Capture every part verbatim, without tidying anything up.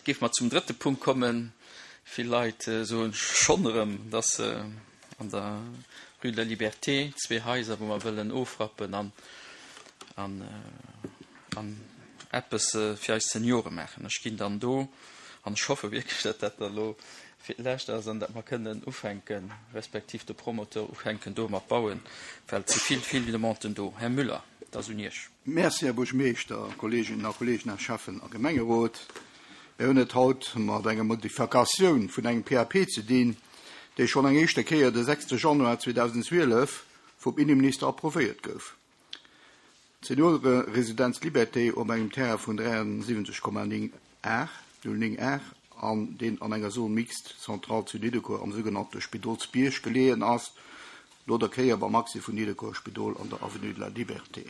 Géife mer zum drëtte Punkt kommen. Vill Leit soen schonn erëm, dass an der Rue de la Liberté zwee Haiser, wou mer wëllen ofrappen an an an eppes fir eis Seniore maachen. Ech ginn dann do, an ech hoffe wierklech, datt dat da lo fir d'lescht ass an datt mer kënnen ufänken, respektiv de Promoteur ufänken do mat bauen, well et si vill, vill Demanden do. Här Müller, et ass un Iech. Merci, Här Buergermeeschter, Kolleeginnen a Kolleegen, Här Schäffen a Gemengerot. Mir hunn et haut mat enger Modifikatioun vun engem P A P ze dinn, dee schonn eng éischte Kéier de sechste Januar zweedausendzwielef vum Inneminister approuvéiert gouf. D'Senioreresidenz Liberté op engem Terrain vun dräiansiwwenzeg Komma néng Ar, null néng Ar, an deen an enger Zone mixte centrale zu Nidderkuer am sougenannte Spidolsbierg geleeën ass, no der Kéier beim Accès vun Nidderkuer Spidol an der Avenue de la Liberté.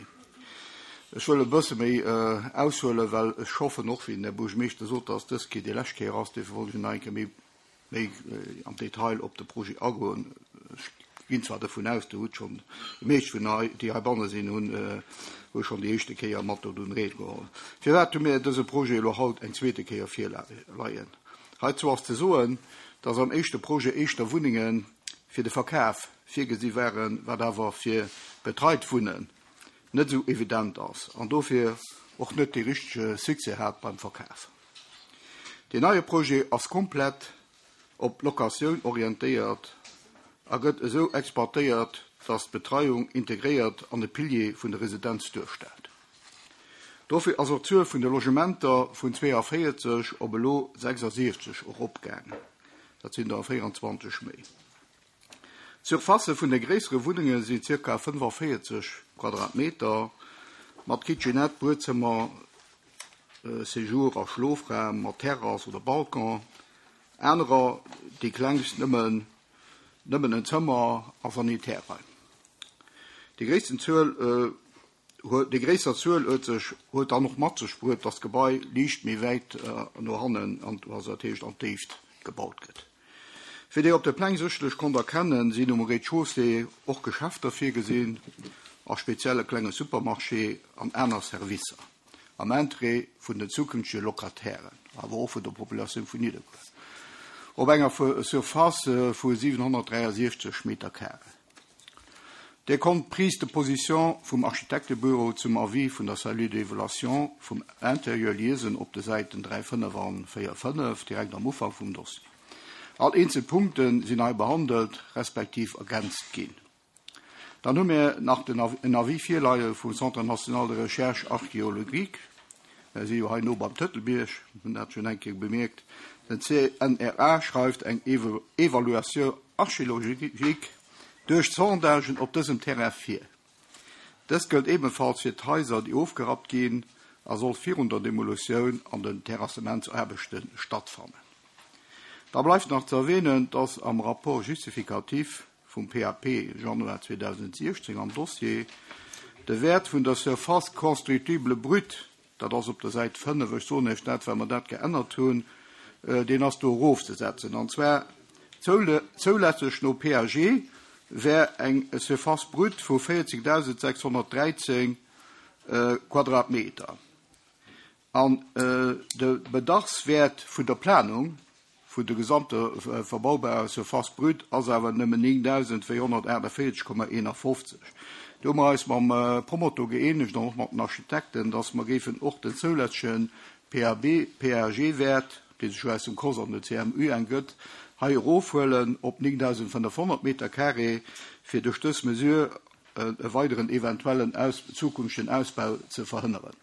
Ech wëll e bësse méi aushuelen, well ech hoffen och, wéi den Här Buergermeeschter sot, dass dës Kéier déi lescht Kéier ass. Dofir wollt ech nach eng Kéier méi, méi am Detail op de Projet agoen. Ech ginn zwar dovun aus, Dir hutt schonn, déi meescht vun hei, déi heibanne sinn, hunn, hu schonn déi éischte Kéier mat dodun Ried geholl. Firwat hu mir dëse Projet elo haut eng zweete Kéier virleien? Heizou ass ze soen, dass am éischte Projet éischter Wunnenge fir de Verkaf virgesi waren, wat awer fir betreit Wunnen net esou evident ass an dofir och net dee richtege Succès hat beim Verkaf. Deen neie Projet ass komplett op Locatioun orientéiert a gëtt esou exploitéiert, dass d'Betreiung integréiert an e Pilier vun der Residenz duerstellt. Dofir ass och d'Zuel vun de Logementer vun zweeavéierzeg op elo sechsasiwwzeg eropgaangen. Dat sinn der véieranzwanzeg méi. D'Surface vun de gréissere Wunnenge sinn zirka fënnefavéierzeg Quadratmeter mat Kitchenette, Buedzëmmer, Séjour a Schlofraum mat Terrass oder Balcon. Anerer, déi klengst, nëmmen, nëmmen en Zëmmer a Sanitärraim. Déi gréissten Zuel, huet, déi gréisser Zuel huet sech, huet dann och mat sech bruet, dass d'Gebai liicht méi wäit no hannen, an, also dat heescht an d'Déift gebaut gëtt. Wéi Dir op de Pläng sécherlech konnt erkennen, sinn um Rez-de-chaussée och Geschäfter virgesinn, a spezielle klenge Supermarché an aner Servicer, am Interêt vun den zukünftege Locatairen, awer och vun der Populatioun vun Nidderkuer. Op enger Surface vu siwenhonnertdräiasiechzeg Meter carré. Dir konnt d'Prise de position vum Architektebüro zum Avis vun der Cellule d'évaluation vum Intérieur liesen op de Säiten dräi fënnef an véier fënnef, direkt am Ufank vum Dossier. All eenzel Punkte sinn hei behandelt, respektiv ergänzt ginn. Dann hu mir nach den Avis, en Avis virleie vum Centre national de recherche archéologique. Mir si jo hei no beim Tëtelbierg, hunn dat schonn eng Kéier bemierkt. Den C N R A schreift eng Evo-, Evaluation archéologique duerch Sondagen op dësem Terrain vir. Dës gëllt ebenfalls fir d'Haiser, déi ofgerappt ginn a soll virun der Demolutioun an den Terrassementsaarbechte stattfannen. Da bleift nach ze erwähnen, dass am Rapport justificatif vum P A P Januar zweedausendsechzehn am Dossier de Wert vun der Surface constructible brute, dat ass op der Säit fënnef, ech soen iech dat, well mer dat geännert hunn, äh, deen ass do erofzesetzen. An zwar zoulä-, zoulässeg no P A G wär eng Surface brute vu véierzegdausendsechshonnertdräizehn, äh, Quadratmeter. An, äh, de Bedarfswert vun der Planung vun der gesamte, äh, verbaubarer Surface brute ass awer nëmmen néngdausendvéierhonnertachtundvierzeg Komma einundfünfzig. Do hu mer eis mam, äh, Promotor gëeenegt an och mat den Architekten, dass mer géifen och den zoulässegen P A B, P A G-Wert, dee sech aus dem K O S an der C M U entgëtt, hei erofhuelen op néngdausendfünfhundert Meter carré, fir duerch dës Mesure, äh, e weideren eventuellen Aus-, zukünftigen Ausbau ze verhënneren.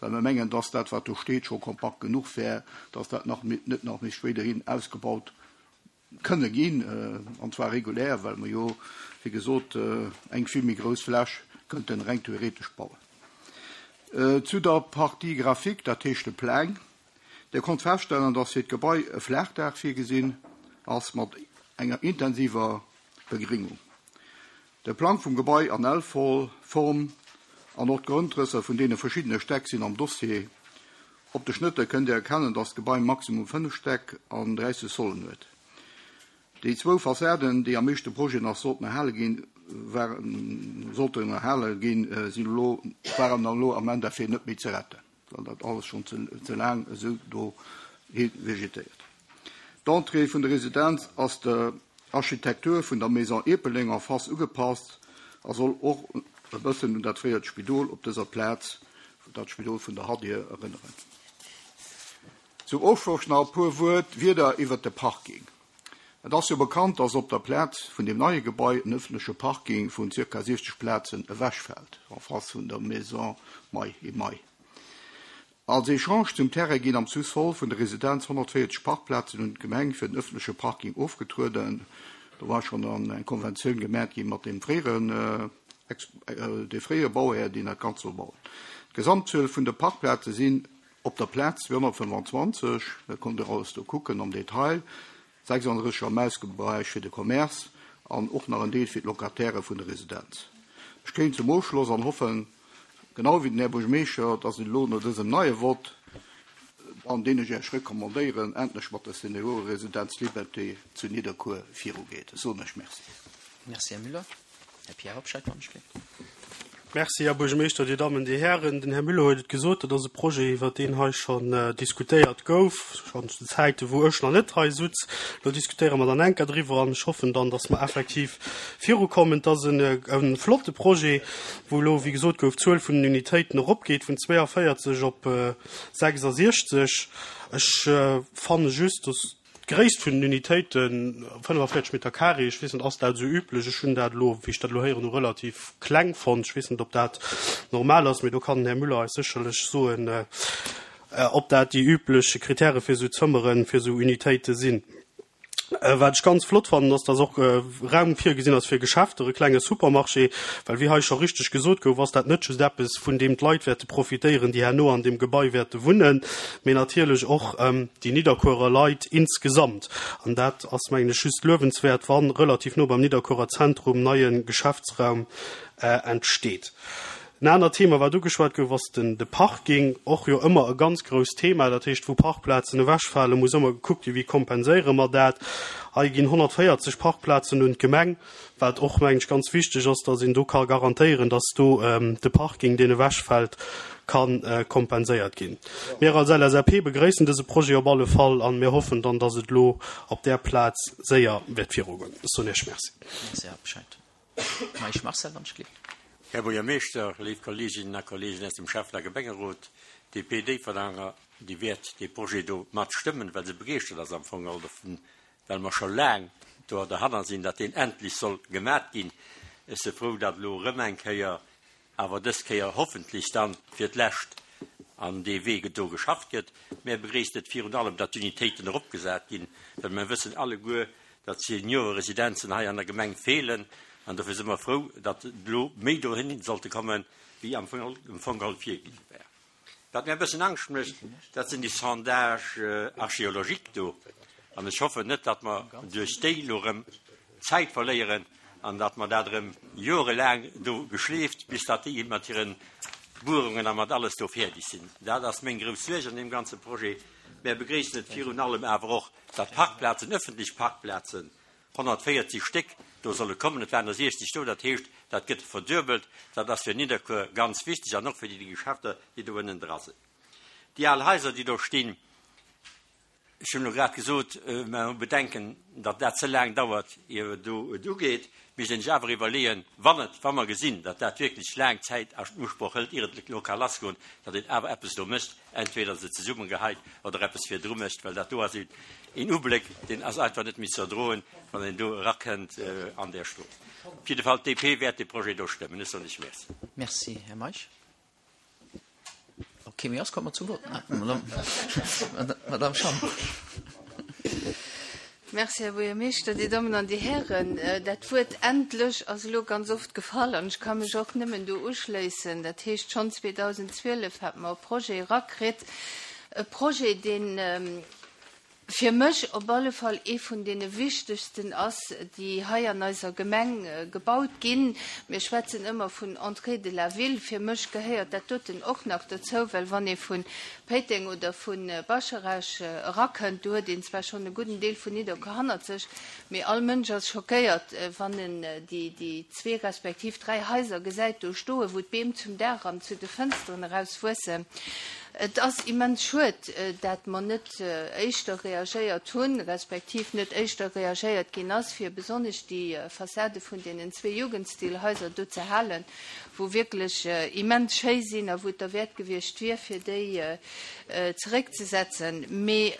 Well mir mengen, dass dat, wat do steet, scho kompakt genuch wär, dass dat nach mi-, net nach méi spéiderhin ausgebaut kënne ginn, äh, an zwar regulär, well mer jo, wéi gesot, äh, eng vill méi grouss Fläch könnten rein theoretisch bauen. Äh, zu der Partie Grafik, dat heescht de Pläng, der konnt feststellen, dass fir d'Gebai e Flachdach virgesinn ass mat enger intensiver Begringung. De Plang vum Gebai an L-Form an och d'Grondrësser vun deene verschiddene Stäck sinn am Dossier. Op de Schnëtter kënnt Dir erkennen, dass d'Gebai maximum fënnef Stäck an dräisseg Sollen huet. Déi zwou Fassaden, déi am meeschte Projet nach sollten erhale ginn, waren, sollten erhale ginn, äh, sinn elo, waren dann elo am Endeffekt net méi ze retten, well dat alles schon ze, ze lang esou do hi vegetéiert. D'Entrée vun der Residenz ass der Architektur vun der Maison Epeling en face ugepasst a soll och e bëssen un dat fréiert Spidol op dëser Plaz, dat Spidol vun der Hadir, erënneren. Zum Ofschloss nach e puer Wuert Wierder iwwert de Parking. Et ass jo bekannt, dass op der Plaz vun dem neie Gebai en ëffentleche Parking vun zirka siechzeg Plazen ewechfält, en face vun der Maison May et May. Als Echange zum Terrain ginn am Sous-sol vun der Residenz honnertvéierzeg Parkplazen un d'Gemeng fir den ëffentleche Parking ofgetrueden. Do war schonn eng Konventioun gemat gi mat dem fréieren, de fréiere Bauhär, deen dat Ganzt soll bauen. D'Gesamtzuel vun de Parkplaze sinn op der Plaz zweehonnertfënfandzwanzeg, dat konnt Der alles do kucken am Detail, sechsandrësseg am Ausgaberäich fir de Commerce an och nach en Deel fir d'Locatairë vun der Residenz. Ech kéim zum Ofschloss an hoffen, genau wéi den Här Buergermeeschter, dass et elo no dësem neie Vott, an deen ech Iech recommandéieren, endlech mat der Senioreresidenz Liberté zu Nidderkuer virugeet. Ech soen Iech Merci. Merci, Här Müller. Här Pierre Hobscheit, wann ech gleeft. Merci, Här Buergermeeschter, Dir Dammen, Dir Hären. Den Här Müller huet et gesot, dat ass e Projet, iwwer deen hei schonn diskutéiert gouf, schonn zu Zäite wou ech nach net hei sutz. Elo diskutéiere mer dann eng Kéier driwwer an ech hoffen dann, dass mer effektiv virukommen. Et ass e flotte Projet, wou elo, wéi gesot gouf, d'Zuel vun den Unitéiten eropgeet vun zweeavéierzeg op sechsasiechzeg. Ech fanne just, dass d'Gréisst vun den Unitéiten, fënnefavéierzeg Meter carré, ech weess net, ass dat esou üblech? Ech hunn dat elo, wéi ech dat elo héieren hu, relativ kleng fonnt. Ech weess net, ob dat normal ass, mee do kann den Här Müller eis sécherlech soen, ob dat déi üblech Kritäre fir esou Zëmmeren, fir esou Unitéite sinn. Wat ech ganz flott fannen, ass, dass och Raum virgesinn ass fir Geschäfter, e klenge Supermarché, well wéi hei scho richteg gesot gouf, ass dat net just eppes, vun deem d'Leit wäerte profitéieren, déi herno an deem Gebai wäerte wunnen, mee natierlech och déi Nidderkuerer Leit insgesamt. An dat ass, mengen ech, just luewenswäert, wa relativ no beim Nidderkuerer Zentrum neie Geschäftsraum entsteet. En anert Thema, wat ugeschwat gouf, ass den de Parking, och jo ëmmer e ganz grousst Thema. Dat heescht, wou Parkplazen ewechfalen, muss ëmmer gekuckt ginn, wéi kompenséiere mer dat. Hei ginn honnertvéierzeg Parkplazen un d'Gemeng, wat och, mengen ech, ganz wichteg ass, dass een do ka garantéieren, dass do de Parking, deen ewechfält, ka kompenséiert ginn. Mir als L S A P begréissen dëse Projet op alle Fall a mir hoffen dann, dass et elo op där Plaz séier wäert virugoen. Ech soen Iech Merci. Merci, Här Bescheid. Meisch Marcel, wann ech gleeft. Här Buergermeeschter, léif Kolleeginnen a Kolleegen aus dem Schäffen a Gemengerot, d'D P Déifferdanger, déi wäert dee Projet do matstëmmen, well se begeeschtert ass am Fong geholl dovun, well mer scho laang do derhanner sinn, datt deen endlech soll gemat ginn. Ech si frou, datt elo erëm eng Kéier, awer dës Kéier hoffentlech dann fir d'lescht, an dee Wee do geschafft gëtt. Mär begréisst et virun allem, datt d'Unitéiten eropgesat ginn, well mer wëssen alleguer, datt Senioreresidenzen hei an der Gemeng feelen, an dofir si mer frou, datt elo méi dohin sollte kommen, wéi am Fong geholl virginn war. Wat mir e bëssen Angscht mécht, dat sinn déi Sondages archéologiques do, an ech hoffen net, datt mer duerch déi elo erëm Zäit verléieren an datt mer dat erëm jorelaang do geschleeft, bis datt déi mat hiren Buerungen a mat alles do fäerdeg sinn. Dat ass meng grouss Suerg an deem ganze Projet. Mär begréissen et virun allem awer och, datt Parkplazen, ëffentlech Parkplazen, honnertvéierzeg Stéck do solle kommen. Et waren der siechzeg do, dat heescht, dat gëtt verduebelt. Dat ass fir Nidderkuer ganz wichteg an och fir déi Geschäfter, déi do ënnen dra sinn. Déi al Haiser, déi do stinn, ech hunn elo grad gesot, mer hu Bedenken, datt dat ze laang dauert, ier et do et ugeet. Misst een sech awer iwwerleeën, wann et, wa mer gesinn, datt dat wierklech laang Zäit a Usproch hëlt, ier et elo ka lassgoen, datt een awer eppes do mécht, entweder se zesummegehäit oder eppes virdru mécht, well dat do ass een Ubléck, deen ass einfach net méi ze erdroen, wann een do erakënnt an där Strooss. Op jidde Fall, d'D P wäert dee Projet do stëmmen. Ech soen lech Merci. Merci, Här Meisch. Ok, mee ass kommt mer zum Vott. Madame Schamp. Merci, Här Buergermeeschter, Dir Dammen an Dir Hären. Dat Wuert endlech ass elo ganz oft gefall an ech ka mech och nëmmen do uschléissen. Dat heescht, schonn zweedausendzwielef hate mer e Projet erakritt, e Projet, deen fir mech op alle Fall ee vun deene wichtegsten ass, déi hei an eiser Gemeng gebaut ginn. Mir schwätzen ëmmer vun Entrée de la ville. Fir mech gehéiert dat doten och nach dozou, well wann ee vu Péiteng oder vu Bascharage erakënnt, do huet een zwar schonn e gudden Deel vun Nidderkuer hannert sech, mee all Mënsch ass schockéiert, wann en déi déi zwee respektiv dräi Haiser gesäit do stoen, wou d'Beem zum Daach an zu de Fënsteren erauswuessen. Et ass immens schued, dat mer net éischter reagéiert hunn, respektiv net éischter reagéiert ginn ass, fir besonnesch déi Fassade vun deenen zwee Jugendstilhaiser do ze halen, wou wierklech immens schéi sinn a wou et derwäert gewiescht wier, fir déi zeréckzesetzen. Mee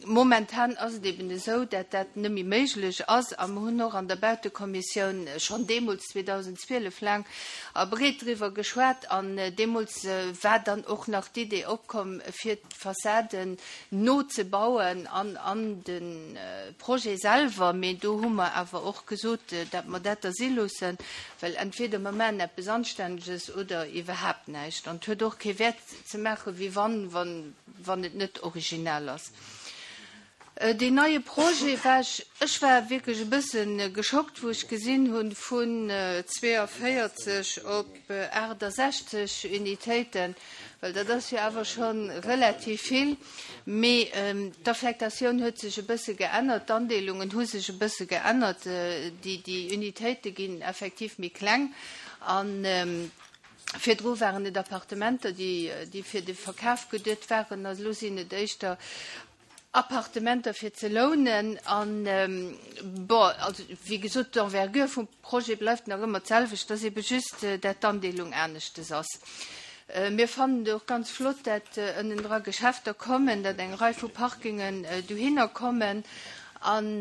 momentan ass et eben esou, dat dat net méi méiglech ass a mer hunn och an der Bautekommissioun schonn deemools zweedausendzwielef laang a breet driwwer geschwat an deemools war dann och nach d'Idee opkomm, fir d'Fassaden nozebauen an an de Projet selwer. Mee do hu mer awer och gesot, dat mer dat da si loossen, well entweder mer maachen eppes Anstänneges oder iwwerhaapt näischt. An et huet och kee Wäert ze maache wéi wann, wann, wann et net original ass. Deen neie Projet war ech, ech war wierklech e bësse geschockt, wou ech gesinn hunn, vun zweeënvéierzeg op aachtasechzeg Unitéiten, well dat ass jo awer scho relativ vill. Mee d'Affektatioun huet sech e bësse geännert, d'Andeelungen hu sech e bësse geännert, déi Unitéite ginn effektiv méi kleng an virdru waren et Appartementer, déi fir de Verkaf geduet waren, a lo sinn et éischter Appartementer fir ze lounen. An, bon, also wéi gesot, d'Envergure vum Projet bleift nach ëmmer d'selwecht, et ass ebe just, dat d'Andeelung aneschtes ass. Mir fannen et och ganz flott, dat ënnendra Geschäfter kommen, dat eng Rei vu Parkingen dohinner kommen. An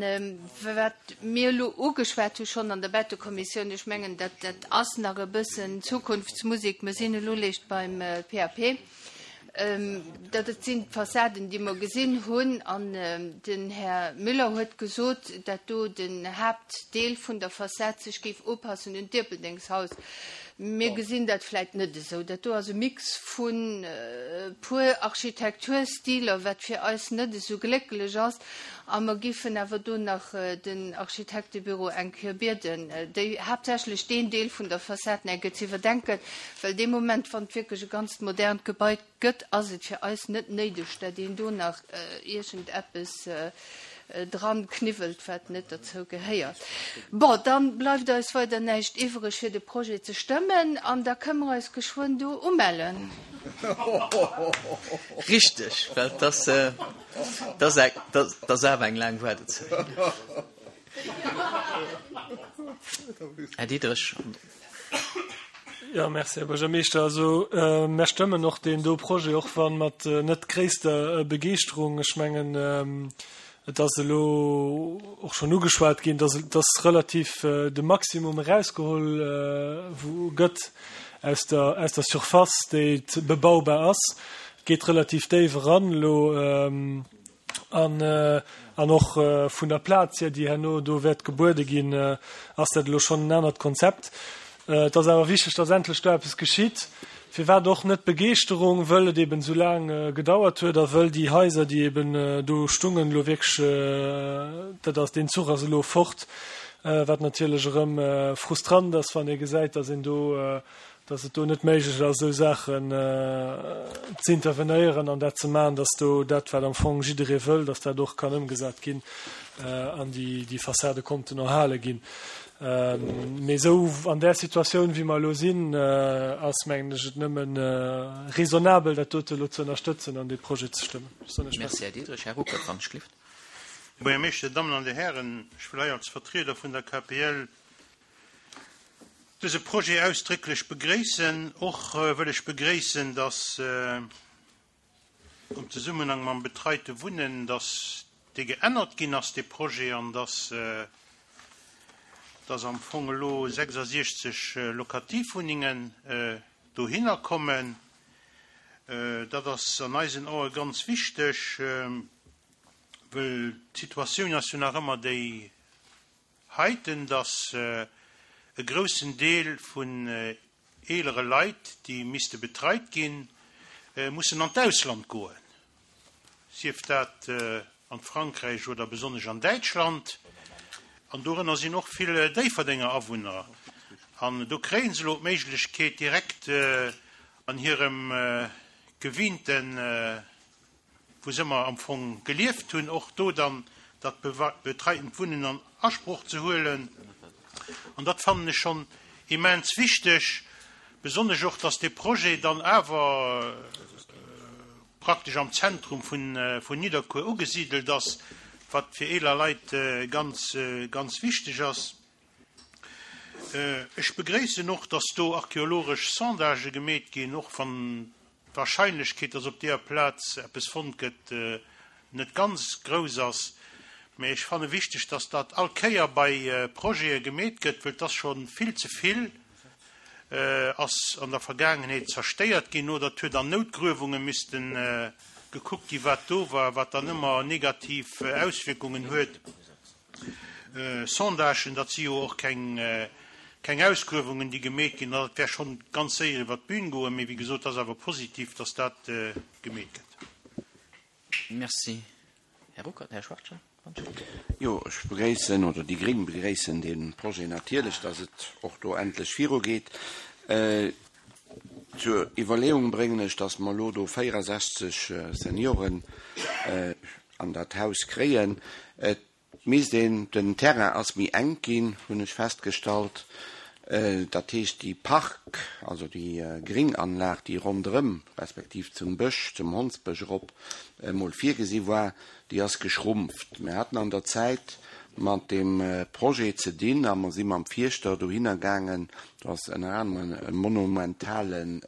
wat mir elo ugeschwat hu schonn an der Bettekommissioun, ech mengen, dat dat ass nach e bëssen Zukunftsmusik, mir sinn elo léischt beim P A P, dat et sinn d'Fassaden, déi mer gesinn hunn, an den Här Müller huet gesot, dat do den Haaptdeel vun der Fassad sech géif upassen un d'Ierpeldengshaus. Mir gesinn dat vläit net esou. Dat do ass e Mix vun e puer Architekturstiler, wat fir eis net esou glécklech ass, a mer giffen awer do nach den Architektebüro eng Kéier bieden, déi haaptsächlech deen Deel vun der Fassad nach eng Kéier ze iwwerdenken, well dee Moment, wann et wierklech e ganzt modernt Gebai gëtt, ass et fir eis net néideg, dat een do nach iergendeppes dran kniwwelt, wat net derzou gehéiert. Bon, dann bleift eis weider näischt iwwreg, fir de Projet ze stëmmen, an da kënne mer eis geschwënn do umellen. Richteg, well dat ass awer eng laang Waardezäit. Här Diderich. Jo, merci, Här Buergermeeschter. Also, mär stëmmen och deen do Projet, och wann mat net gréisster Begeeschterung. Ech mengen, et ass elo och schonn ugeschwat ginn, dass dass relativ de Maximum erausgeholl gëtt aus der aus der Surface, déi bebaubar ass. Et geet relativ déif eran elo. An an och vun der Plaz hier, déi herno do wäert gebuede ginn, ass dat elo schonn en anert Konzept. Et ass awer wichteg, dass endlech do eppes geschitt. Firwat och net Begeeschterung? Wëll et eben esou laang gedauert huet a wëll déi Haiser, déi eben do stungen, elo wierklech, dat ass, deen Zuch ass elo fort, wat natierlech erëm frustrant ass, wann ee gesäit, dass een do, dass et do net méiglech ass, esou Saachen ze intervenéieren an dat ze maachen, dass do dat, wat am Fong jidderee wëll, dass dat och kann ëmgesat ginn an déi Fassade konnten erhale ginn. Mee esou an där Situatioun, wéi mer elo sinn, ass, mengen ech, et nëmmen raisonnabel, dat dote elo ze ënnerstëtzen an dee Projet ze stëmmen. Ech soen lech Merci, Merci. Här Diderich. Här Ruckert, wann ech gelift. Här Buergermeeschter, Dammen an Dir Hären, ech wëll hei als Vertrieder vun der K P L dëse Projet ausdrécklech begréissen. Och wëll ech begréissen, dass am Zesummenhang mam betreite Wunnen, dass dee geännert ginn ass, dee Projet, an dass dass am Fong elo sechsasiechzeg Lokativwunnengen dohinner kommen. Dat ass an eisen Ae ganz wichteg, well d'Situatioun ass jo nach ëmmer déi heiten, dass e groussen Deel vun eelere Leit, déi misste betreit ginn, mussen an d'Ausland goen, sief dat an Frankräich oder besonnesch an Däitschland. An dorënner sinn och vill Déifferdenger Awunner. An do kréie se elo d'Méiglechkeet, direkt an hirem gewinnten, wou se ëmmer am Fong gelieft hunn, och do dann dat betreitent Wunnen an Asproch ze huelen. An dat fannen ech schonn immens wichteg, besonnesch och, dass dee Projet dann awer praktesch am Zentrum vun, vun Nidderkuer ugesidelt ass, wat fir eeler Leit ganz, ganz wichteg ass. Ech begréissen och, dass do archeologesch Sondagë gemeet ginn, och wann d'Warscheinlechkeet, dass op deeër Plaz eppes fonnt gëtt, net ganz grouss ass. Mee ech fanne wichteg, dass dat all Kéier bei Projete gemeet gëtt, well et ass scho vill ze vill ass an der Vergaangenheet zerstéiert ginn oder et huet an Noutgruewunge missten gekuckt ginn, wat do war, wat dann ëmmer negativ Auswierkungen huet. Sondagen, dat si jo och keng keng Ausgruewungen, déi gemeet ginn, dat wär schonn ganz séier iwwer d'Bün goen, mee wéi gesot, ass awer positiv, dass dat gemeet gëtt. Merci. Här Ruckert, Här Schwachtgen. Jo, ech begréissen, oder déi Gréng begréissen dee Projet natierlech, dass et och do endlech virugeet. Zur Iwwerleeung bréngen ech, dass mer elo do véierasechzeg Senioren an dat Haus kréien. Et misst een, den Terrain ass méi enk ginn, hunn ech festgestallt. Dat heescht, déi Park, also déi Gringanlag, déi ronderëm, respektiv zum Bësch, zum Hondsbësch erop emol virgesi war, déi ass geschrumpft. Mir haten an der Zäit mat deem Projet ze dinn a mer si mam Fierschter dohinner gaangen. Do ass ënner anerem e monumentalen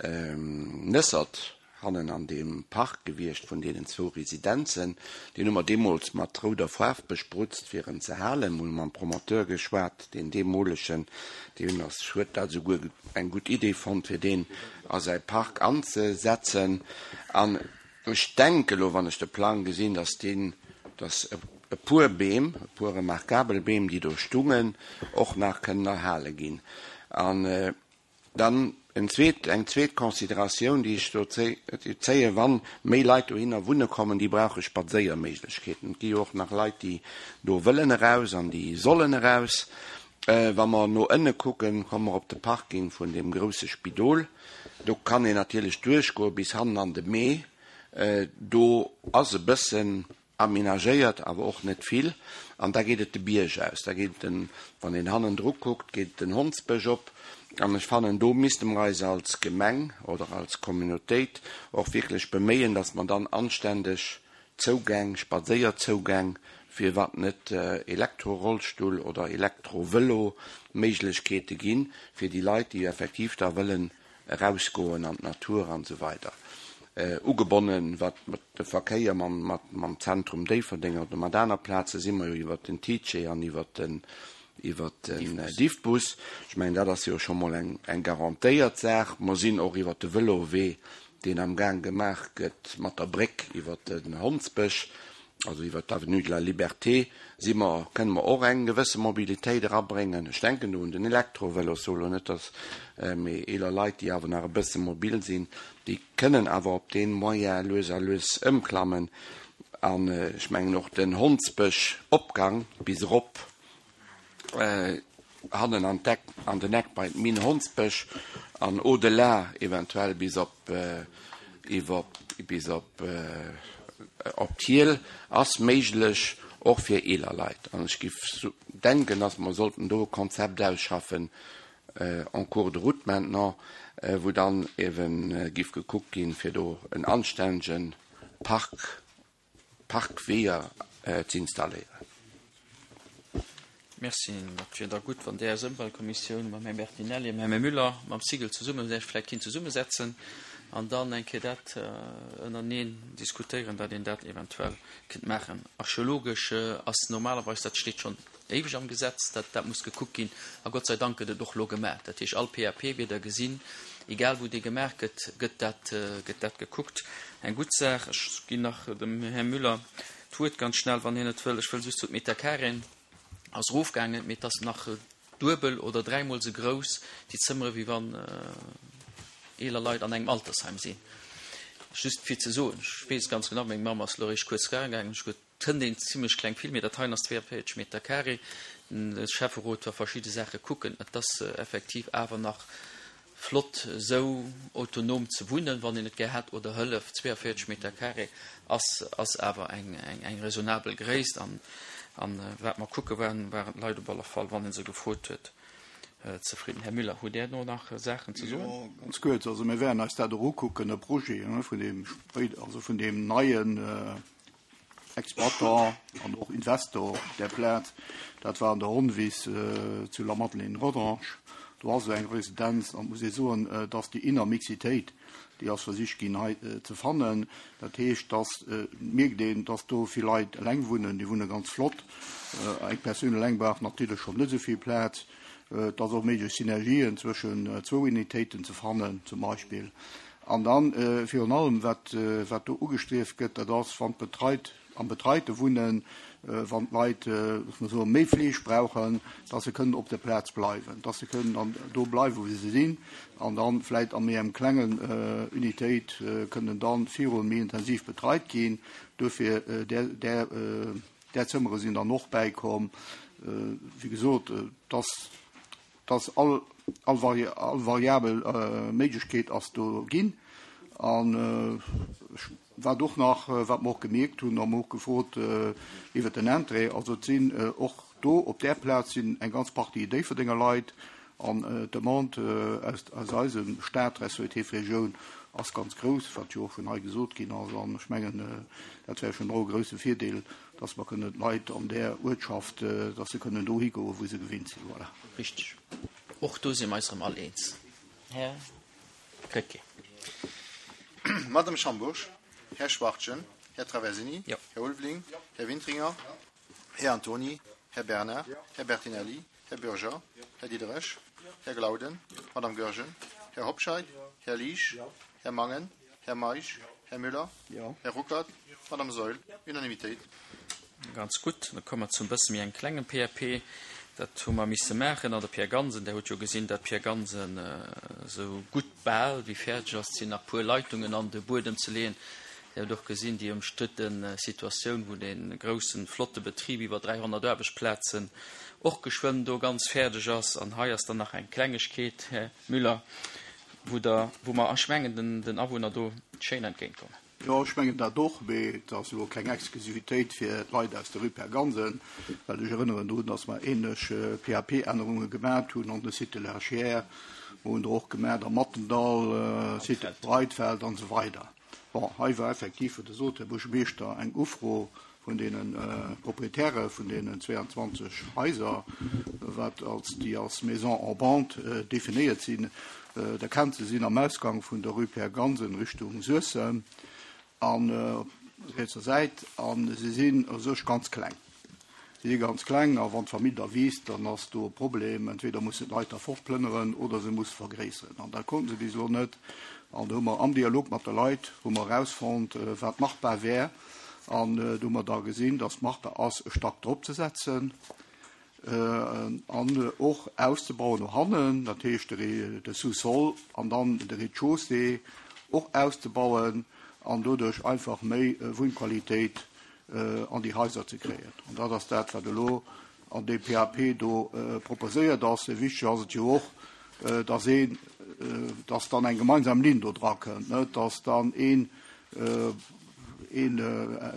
Nëssert hannen an deem Park gewiescht vun deenen zwou Residenzen. Deen hu mer deemools mat rouder Faarf besprutzt, fir en ze halen. Mer hu mam Promoteur geschwat, deen deemolegen, deen ass, huet dat esouguer eng gutt Idee fonnt, fir deen a säi Park anzesetzen. An ech denke elo, wann ech de Plang gesinn, dass deen, dass e puer Beem, e puer remarkabel Beem, déi do stungen, och nach kënnen erhale ginn. An dann en zweet, eng zweet Consideratioun, déi ech do zéien, Wann méi Leit dohinner wunne kommen, déi brauche Spadséierméiglechkeeten. Et gi jo och nach Leit, déi do wëllen eraus an déi sollen eraus. Wa mer no ënne kucken, komme mer op de Parking vun deem grousse Spidol. Do kann een natierlech duerchgoe bis hannen an de Mee. Do ass e bëssen aménagéiert, awer och net vill. An da geet et de Bierg aus. Da geet den, wann een hannendru kuckt, geet den Hondsbësch op. An ech fannen, do misste mer eis als Gemeng oder als Communautéit och wierklech beméien, dass mer dann anständeg Zougäng, Spadséierzougäng, firwat net Elektrorollstull oder Elektrovëlo-Méiglechkeete ginn, fir déi Leit, déi effektiv da wëllen erausgoen an d'Natur an esou weider. Ugebonnen, wat de Verkéier mam Zentrum Déifferdeng oder mat aner Plaze si mer jo iwwert den TICE an iwwert den iwwert den Diffbus. Ech mengen, dat ass jo scho mol eng garantéiert Saach. Mer sinn och iwwert de Vëlowee, deen am Gaang gemaach gëtt mat der Bréck iwwert den Hondsbësch, also iwwert d'Avenue de la Liberté, si mer, kënne mer och eng gewësse Mobilitéit erabréngen. Ech denken do un den Elektrovëlo, ech soe lo net, dass, mee eeler Leit, déi awer nach e bësse mobil sinn, déi kënnen awer op dee Moyen lues a lues ëmklammen. An ech mengen och den Hondsbësch-Opgang bis erop hannen an d'Eck, an den Eck bei d'Mine Hondsbësch an au-delà eventuell bis op iwwer bis op op d'Hiel ass méiglech och fir eeler Leit. An ech giff denken, dass mer sollten do e Konzept ausschaffen en cours de route maintenant, wou dann ewen giff gekuckt ginn, fir do en anstännegen Park, Parkweeër z'installéieren. Merci. Dat wier da gutt, wann Dir als Ëmweltkommissioun mam Här Bertinelli a mam Här Müller, mam Sigel zesummen Iech vläicht kinnt zesummesetzen an dann eng Kéier dat ënnereneen diskutéieren, datt een dat eventuell kéint maachen. Archeologesch ass normalerweis, dat steet schonn éiweg am Gesetz, dat dat muss gekuckt ginn a Gott sei Dank gëtt et och elo gemaach. Dat heescht, all P A P wier der gesinn, egal wou dee gemaach gëtt, gëtt dat, gëtt dat gekuckt. Eng gutt Saach. Ech ginn nach dem Här Müller d'Wuert ganz schnell, wann hien et wëll. Ech wëll just zu d'Meterkarin ass erofgaangen, mee et ass nach duebel oder dräimol esou grouss, déi Zëmmere, wéi wann eeler Leit an engem Altersheim sinn. Just fir ze soen, ech weess ganz genau, meng Mamm ass elo eréischt kuerz gaangen, ech huet kënnt een zimlech kleng vill, mee dat heien ass zweeënvéierzeg Meter carré. De Schäfferot war verschidde Saache kucken, et ass effektiv awer nach flott esou autonom ze wunnen, wann een et gär hätt, oder Hëllef. zweeënvéierzeg Meter carré ass ass awer eng eng raisonnabel Gréisst an an wat mer kucke waren, waren d'Leit op alle Fall, wann ee se gefrot huet, zefridden. Här Müller, hutt Där do nach Saachen ze soen? Jo, ganz kuerz. Also mir wäerten eis dat och ukucken, e Projet vun deem, also vun deem neien Exploitant an och Investor op där Plaz. Dat war an der Ronnwiss zu Lamadelaine-Rodange. Do ass esou eng Residenz an et muss ee soen, dass déi inner Mixitéit, déi ass versicht ginn hei ze fannen. Dat heescht, dass et mierkt een, dass do vill Leit eleng wunnen, déi wunne ganz flott. Eng Persoun eleng brauch natierlech schonn net esou vill Plaz. Et ass och méiglech Synergien zwëschen zwou Unitéiten ze fannen zum Beispill. An dann virun allem, wat wat do ugestrieft gëtt, dat ass, wann d'Betreit am betreite Wunnen, wann d'Leit, loosse mer soen, méi Fleeg brauchen, dass se kënnen op der Plaz bleiwen, dass se kënnen dann do bleiwen, wou se sinn, an da vläicht a méi engem klengen Unitéit kënnen da virun méi intensiv betreit ginn. Duerfir där, där, där Zëmmere sinn dann och bäikomm. Wéi gesot, dass, dass all, all all variabel Méiglechkeet ass do ginn. An ech, wat och nach, wat mer och gemierkt hunn, a mer och gefrot iwwert den Entrée, also et sinn och do op där Plaz sinn eng ganz Partie Déifferdenger Leit an d'Demande aus, aus eisem Stat respektiv Regioun ass ganz grouss, wat jo och vun hei gesot ginn ass. An ech mengen, dat wär schonn och e grouse Virdeel, dass mer kënnen d'Leit an där Uertschaft, dass se kënnen dohi goen, wou se gewinnt sinn. Voilà. Richtig. Och do si mer eis erëm all eens, Här Krecké. Madame Schambourg, Här Schwachtgen, Här Traversini, Jo. Här Ulveling, Här Wintringer, Här Antony, Här Bernard, Här Bertinelli, Här Bürger, Här Diderich, Här Glauden, Madame Goergen, Här Hobscheit, Här Liesch, Här Mangen, Här Meisch, Här Müller, Här Ruckert, Madame Saeul. Unanimitéit. Ganz gutt. Da komme mer zum bësse méi engem klengen P A P. Dat hu mer misse maachen an der Pierre Gansen. Der hutt jo gesinn, datt d'Pierre Gansen esou gutt bal wéi fäerdeg ass. Et sinn nach puer Leitungen an de Buedem ze leeën. Dir hutt och gesinn déi ëmstridde Situatioun, wou dee groussen, flotte Betrib iwwer dräihonnert Aarbechtsplazen och geschwënn do ganz fäerdeg ass. An hei ass dann nach eng Klengegkeet, Här Müller, wou Der, wou mer, ech mengen, den, den Awunner do schéin entgéintkommen. Jo, ech mengen dat och, mee et ass elo keng Exklusivitéit fir d'Leit aus der Rue Père Gansen, well ech erënneren drun, dass mer ähnlech P A P-Ännerunge gemat hunn an de Site de la Chiers, mer hunn der och gemat am Mattendall, Site Breitfeld an esou weider. Bon, hei war effektiv, wéi Der sot, Här Buergermeeschter, eng Ufro vun deene Proprietäre vun deenen zweiundzwanzeg Haiser, wat als déi als Maison en bande definéiert sinn. Der kennt se, sinn am Ausgang vun der Rue Père Gansen Richtung Suessem an op rietser Säit, a se sinn u sech ganz kleng. Se si ganz kleng, a wann d'Famill da wiisst, dann ass do e Problem. Entweder mussen d'Leit da fortplënneren oder se musse vergréisseren. An dat konnte se bis elo net. An do hu mer am Dialog mat de Leit hu mer erausfonnt, wat machbar wär. An do hu mer da gesinn, dass machbar ass, e Stack drop ze setzen an och auszebauen no hannen, dat heescht de Sous-sol an dann de Rez-de-chaussée och auszebauen an doduerch einfach méi Wunnqualitéit an déi Haiser ze kréien. An dat ass dat, wat elo an deem P A P do proposéiert ass. Wichteg ass et jo och, dass een, dass dann eng gemeinsam Linn do dra kënnt, net dass dann een een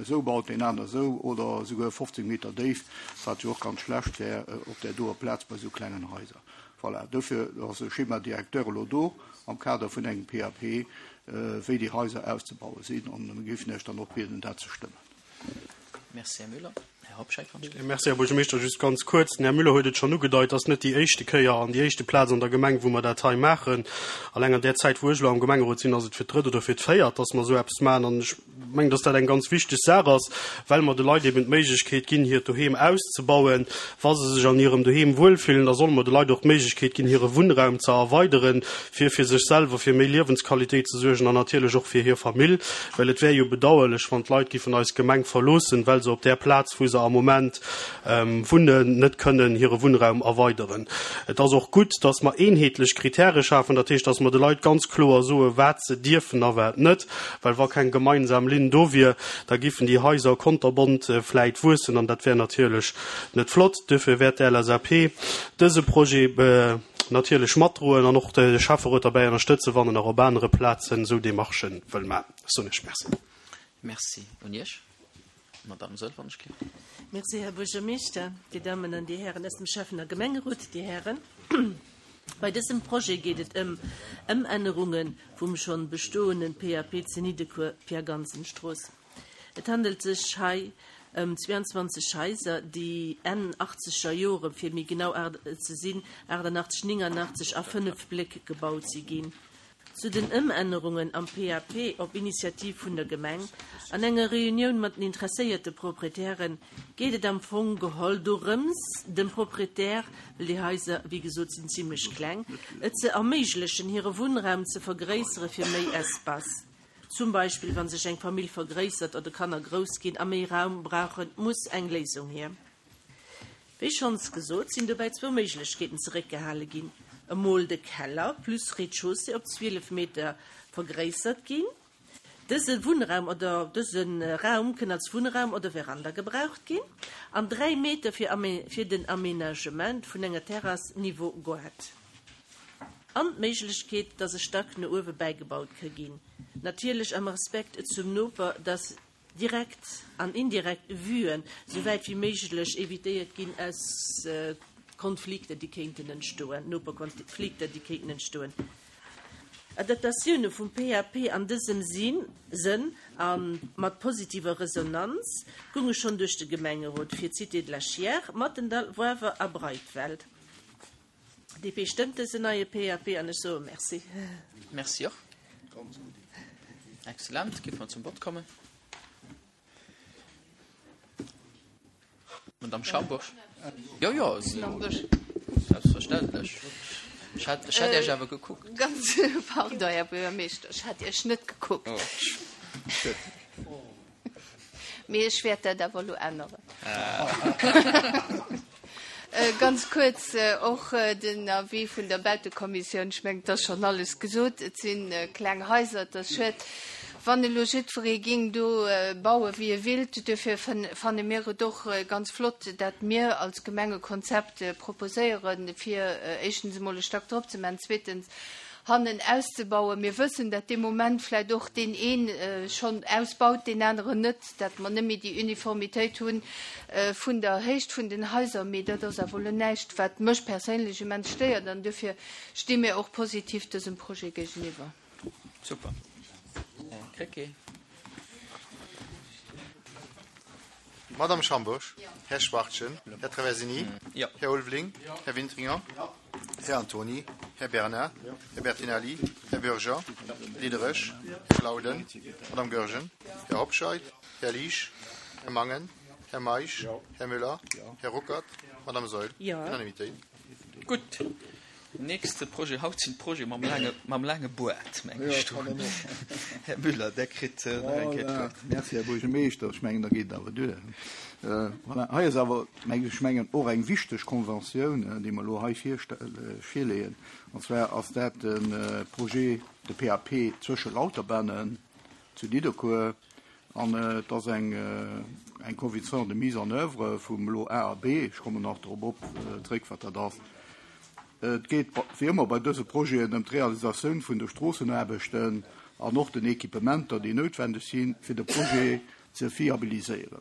esou baut, deen aner esou, oder esouguer fofzéng Meter déif, wat jo och ganz schlecht wär op där doer Plaz bei esou klengen Haiser. Voilà, dofir ass e Schéma directeur elo do am Kader vun engem P A P, wéi déi Haiser auszebaue sinn, an mir géifen Iech dann och bieden, dat ze stëmmen. Merci, Här Müller. Här Hobscheit, wann ich Merci, Här Buergermeeschter. Just ganz kuerz, den Här Müller huet et schonn ugedeit, ass net déi éischte Kéier an déi éischte Plaz an der Gemeng, wou mer dat hei maachen. Alleng an där Zäit, wou ech elo am Gemengerot sinn, ass et fir d'drëtt oder fir d'véiert, dass mer esou eppes maachen. An ech mengen, dass dat eng ganz wichteg Saach ass, well mer de Leit eben d'Méiglechkeet ginn, hiert Doheem auszebauen. Wa se sech an hirem Doheem wuelfillen, da solle mer de Leit och d'Méiglechkeet ginn, hire Wunnraum ze erweideren, fir fir sech selwer fir méi Liewensqualitéit ze suergen an natierlech och fir hir Famill. Well et wär jo bedauerlech, wann d'Leit giffen eis Gemeng verloossen, well se op där Plaz, wou se am Moment wunnen, net kënnen hire Wunnraum erweideren. Et ass och gutt, dass mer eenheetlech Kritäre schafen, dat heescht, dass mer de Leit ganz kloer soen, wat se dierfen a wat net, well wa keng gemeinsam Linn do wier, da giffen déi Haiser konterbont vläit wuessen an dat wär natierlech net flott. Dofir wäert d'L S A P dëse Projet natierlech matdroen an och de Schäfferot dabei ënnerstëtzen, wann en nach op anere Plazen esou Demarchen wëll maachen. Ech soen Iech Merci. Merci un Iech. Madame Saeul, wann ech gleef. Merci, Här Buergermeeschter, Dir Dammen an Dir Hären aus dem Schäffen- a Gemengerot, Dir Hären. Bei dësem Projet geet et ëm Ëmännerunge vum schonn bestoenden P A P zu Nidderkuer Pierre-Gansen-Strooss. Et handelt sech hei ëm zweiundzwanzeg Haiser, déi Enn achtzeger Jore, fir méi genau ze sinn aachtanachtzeg, nénganachtzeg a fënnef Bléck gebaut si ginn. Zu den Ëmännerungen am P A P op Initiativ vun der Gemeng an enger Reunioun mat den interesséierte Proprietären geet et am Fong geholl dorëms, dem Proprietär, well déi Haiser, wéi gesot, sinn zimlech kleng, et ze erméiglechen, hire Wunnraum ze vergréissere fir méi Espace. Zum Beispill wann sech eng Famill vergréissert oder Kanner grouss ginn a méi Raum brauchen, muss eng Léisung hier. Wéi schonns gesot, sinn dobäi zwou Méiglechkeeten zeréckgehale ginn: Emol de Keller plus Rez-de-chaussée op zwielef Meter vergréissert ginn. Dëse Wunnraum oder dëse Raum kënn als Wunnraum oder Veranda gebraucht ginn an dräi Meter fir fir den Aménagement vun enger Terrass niveau Goart. An d'Méiglechkeet, dass e Stack no uewe bäigebaut ka ginn. Natierlech am Respekt zum Noper, dass direkt an indirekt Vuen souwäit wéi méiglech evitéiert ginn aus Konflikter, déi kéinten entstoen, Noperkonflikter, déi kéinten entstoen. Adaptatioune vum P A P an dësem Sënn a mat positiver Resonanz gounge schonn duerch de Gemengerot fir d'Cité de la Chiers, Mathendahl, Woiwer a Breitwelt. D P stëmmt dësen neie P A P an ech soe Merci. Merci och. Excellent. Géife mer zum Vott kommen. Madame Schambourg. Jo, jo, selbstverständlech. Ech hat, ech hat Iech awer gekuckt. Ganz, pardon, Här Buergermeeschter, ech hat Iech net gekuckt. Oh, schued. Mee ech wäert dat awer elo änneren. Ganz kuerz och den Avis vun der Bautekommissioun. Ech mengen, et ass schonn alles gesot. Et si kleng Haiser, et ass schued, wann elo jiddweree géing do baue wéi e willt. Dofir fanne mir et och ganz flott, dat mir als Gemeng e Konzept proposéieren, fir éischtens emol e Stack drop ze maachen, zweetens hannen auszebauen. Mir wëssen, dat dee Moment vläicht och deen een schonn ausbaut, deen aneren net, dat mer net méi déi Uniformitéit hu vun der Héicht vun den Haiser. Mee dat ass awer elo näischt, wat mech perséinlech immens stéiert, an dofir sti mir och positiv dësem Projet géigeniwwer. Super. Här Krecké. Madame Schambourg, Här Schwachtgen, Här Traversini, Här Ulveling, Här Wintringer, Här Antony, Här Bernard, Här Bertinelli, Här Bürger, Diderich, Här Glauden, Madame Goergen, Här Hobscheit, Här Liesch, Här Mangen, Här Meisch, Här Müller, Här Ruckert, Madame Saeul. Unanimitéit. Gutt. Nächste Projet haut sinn d'Projete mam laange, mam laange Boart, meng ech do. Här Müller, Der kritt nach eng Kéier d'Wuert. Merci, Här Buergermeeschter. Ech mengen, da geet et awer duer. Voilà, hei ass awer, meng ech, mengen och eng wichteg Konventioun, déi mer elo hei virleeën. An zwar ass dat de Projet, de P A P zwësche Lauterbannen zu Nidderkuer. An et ass eng eng Convention de mise en œuvre vum Lot A a B. Ech kommen nach drop op zréck, wat dat ass. Et geet wéi ëmmer bei dëse Projeten ëm d'Realisatioun vun de Stroossenaarbechten an och den Equipementer, déi noutwendeg sinn, fir de Projet ze fiabiliséieren.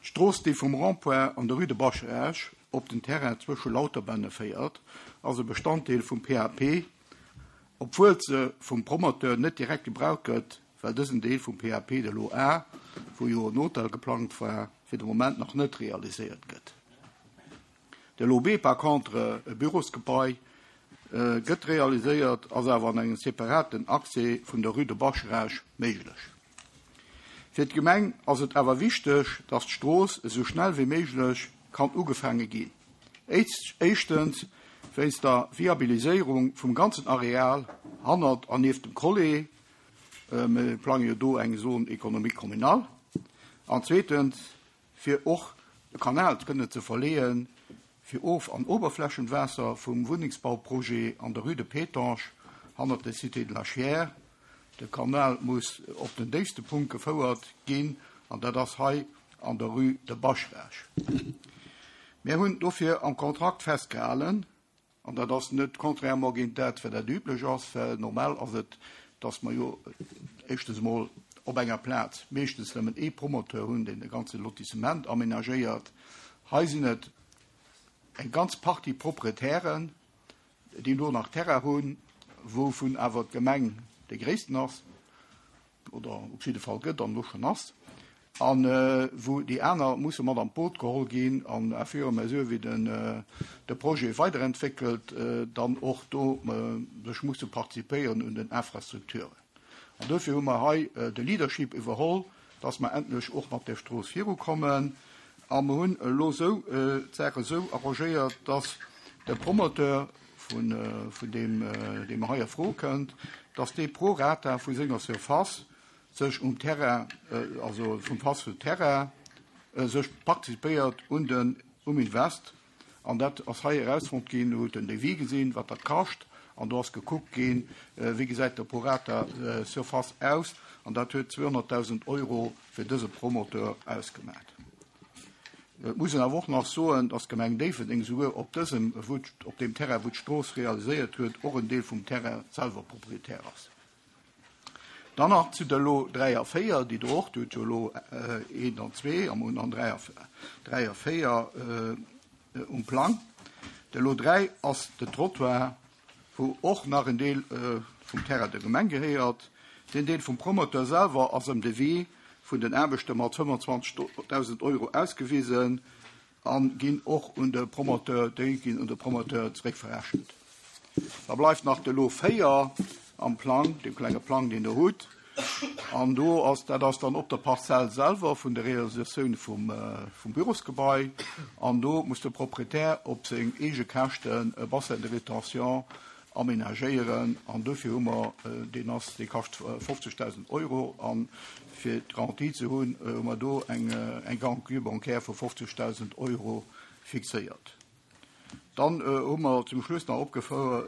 D'Strooss, déi vum Rond-point an der Rue de Bascharage op den Terrain zwësche Lauterbänne féiert, ass e Bestanddeel vum P A P, obwuel se vum Promoteur net direkt gebraucht gëtt, well dësen Deel vum P A P, de Lot A, wou jo en Hotel geplangt war, fir de Moment nach net realiséiert gëtt. De Lot B par contre, e Bürosgebai, gëtt realiséiert, ass awer an engem separaten Accès vun der Rue de Bascharage méiglech. Fir d'Gemeng ass et awer wichteg, datt d'Strooss esou schnell wéi méiglech kann ugefaange ginn. Éischtens wéinst der Viabiliséierung vum ganzen Areal hannert an nieft dem Collé, mir plange jo do eng Zone économique communale, an zweetens fir och de Kanal kënnen ze verleeën, fir Of an Oberflächenwaasser vum Wunnengsbauprojet an der Rue de Pétange hannert der Cité de la Chiers. De Kanal muss op den déifste Punkt gefouert ginn, an dat ass hei an der Rue de Bascharage. Mir hunn dofir am Kontrakt festgehalen, an dat ass net contrairement géint dat, wat dat üblech ass, well normal ass et, dass mer jo éischtens emol op enger Plaz meeschtens nëmmen ee Promoteur hunn, deen de ganze Lotissement amenagéiert. Hei sinn et eng ganz Partie Proprietären, déi do nach Terrain hunn, wouvun awer d'Gemeng dee gréissten ass, oder op jidde Fall gëtt an elo schonn ass, an wou déi aner musse mat an d'Boot geholl ginn an à fur et à mesure wéi den de Projet weiderentwéckelt, dann och do sech musse participéieren un den Infrastrukturen. An dofir hu mer hei de Leadership iwwerholl, dass mer endlech och mat där Strooss virukommen. A mer hunn elo esou d'Saach esou arrangéiert, dass de Promoteur vun vun deem, deem hei a Fro kënnt, dass dee pro rata vu senger Surface sech um Terrain, also vum Face vum Terrain, sech participéiert un den, um Invest. An dat ass hei erausfonnt ginn, do huet den Devis gesinn, wat dat kascht, an do ass gekuckt ginn, wéi gesäit de pro rata Surface aus, an dat huet zweehonnertdausend Euro fir dëse Promoteur ausgemat. Et muss een awer och nach soen, dass d'Gemeng Déifferdeng souguer op dësem, wou, op deem Terrain, wou d'Strooss realiséiert huet, och en Deel vum Terrain selwer Proprietär ass. Dann nach zu de Lot dräi a véier, déi do och, Dir hutt jo elo eent an zwee a mer hunn dann dräi a, dräi a véier um Plang. De Lot dräi ass de Trottoir, wou och nach en Deel vum Terrain der Gemeng gehéiert. Deen Deel vum Promoteur selwer ass am Devis vun den Aarbechte mat fëmmendzwanzegdausend Euro ausgewisen a ginn och un de Promoteur, déi ginn un de Promoteur zeréckverrechent. Da bleift nach de Lot véier am Plang, deem klenge Plang, deen Der hutt. An do ass, dat ass dann op der Parzell selwer vun der Realisatioun vum, vum Bürosgebai. An do muss de Proprietär op seng eege Käschten e Bassin de rétention aménagéieren. An dofir hu mer, deen ass, dee kascht fofzegdausend Euro. A fir d'Garantie ze hunn, hu mer do eng, eng Garantie bancaire vu fofzegdausend Euro fixéiert. Dann hu mer zum Schluss nach opgefouert,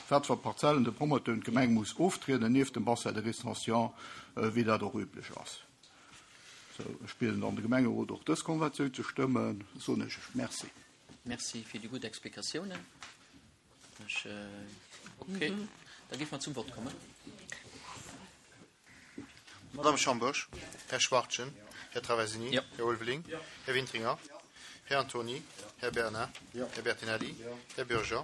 wat fir Parzellen de Promoteur un d'Gemeng muss oftrieden, nieft dem Bassin de rétention, wéi dat och üblech ass. Sou, ech bieden dann de Gemengerot och dës Konventioun ze stëmmen. Soen ech Merci. Merci fir déi gutt Explikatiounen. Ech, okay, da géife mer zum Vott kommen. Madame Schambourg, Här Schwachtgen, Här Traversini, Ja. Här Ulveling, Här Wintringer, Här Antony, Här Bernard, Här Bertinelli, Här Bürger,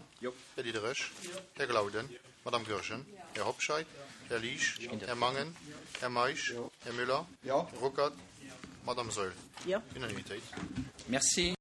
Här Diderich, Här Glauden, Madame Goergen, Här Hobscheit, Här Liesch, Här Mangen, Här Meisch, Här Müller, Här Ruckert, Madame Saeul. Jo. Unanimitéit. Merci.